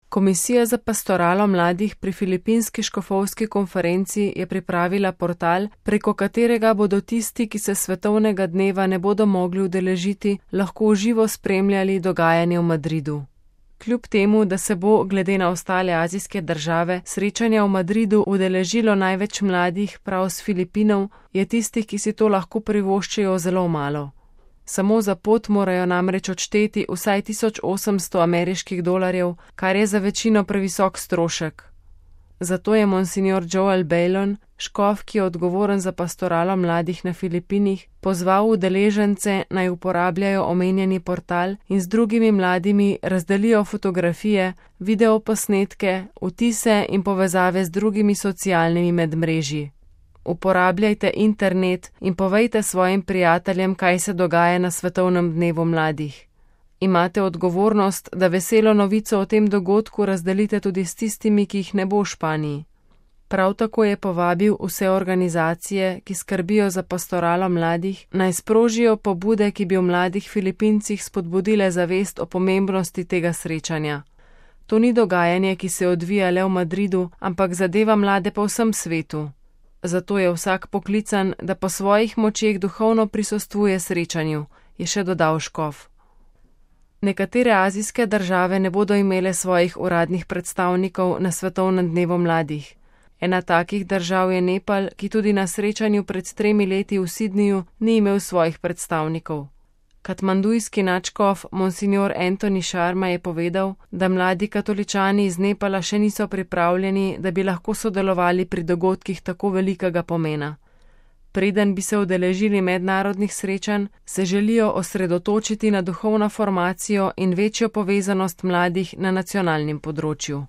Komisija za pastoralo mladih pri Filipinski škofovski konferenci je pripravila portal, preko katerega bodo tisti, ki se svetovnega dneva ne bodo mogli udeležiti, lahko v živo spremljali dogajanje v Madridu. Kljub temu, da se bo, glede na ostale azijske države, srečanja v Madridu udeležilo največ mladih prav s Filipinov, je tistih, ki si to lahko privoščijo, zelo malo. Samo za pot morajo namreč odšteti vsaj $1800, kar je za večino previsok strošek. Zato je monsignor Joel Bailon, škof, ki je odgovoren za pastoralo mladih na Filipinih, pozval udeležence naj uporabljajo omenjeni portal in z drugimi mladimi razdelijo fotografije, videoposnetke, vtise in povezave z drugimi socialnimi medmrežji. Uporabljajte internet in povejte svojim prijateljem, kaj se dogaja na svetovnem dnevu mladih. Imate odgovornost, da veselo novico o tem dogodku razdelite tudi s tistimi, ki jih ne bo v Španiji. Prav tako je povabil vse organizacije, ki skrbijo za pastoralo mladih, naj sprožijo pobude, ki bi v mladih Filipincih spodbudile zavest o pomembnosti tega srečanja. To ni dogajanje, ki se odvija le v Madridu, ampak zadeva mlade po vsem svetu. Zato je vsak poklican, da po svojih močeh duhovno prisostvuje srečanju, je še dodal škof. Nekatere azijske države ne bodo imele svojih uradnih predstavnikov na svetovnem dnevu mladih. Ena takih držav je Nepal, ki tudi na srečanju pred 3 leti v Sydneyju ni imel svojih predstavnikov. Katmandujski nadškof monsignor Anthony Sharma je povedal, da mladi katoličani iz Nepala še niso pripravljeni, da bi lahko sodelovali pri dogodkih tako velikega pomena. Preden bi se udeležili mednarodnih srečanj, se želijo osredotočiti na duhovno formacijo in večjo povezanost mladih na nacionalnem področju.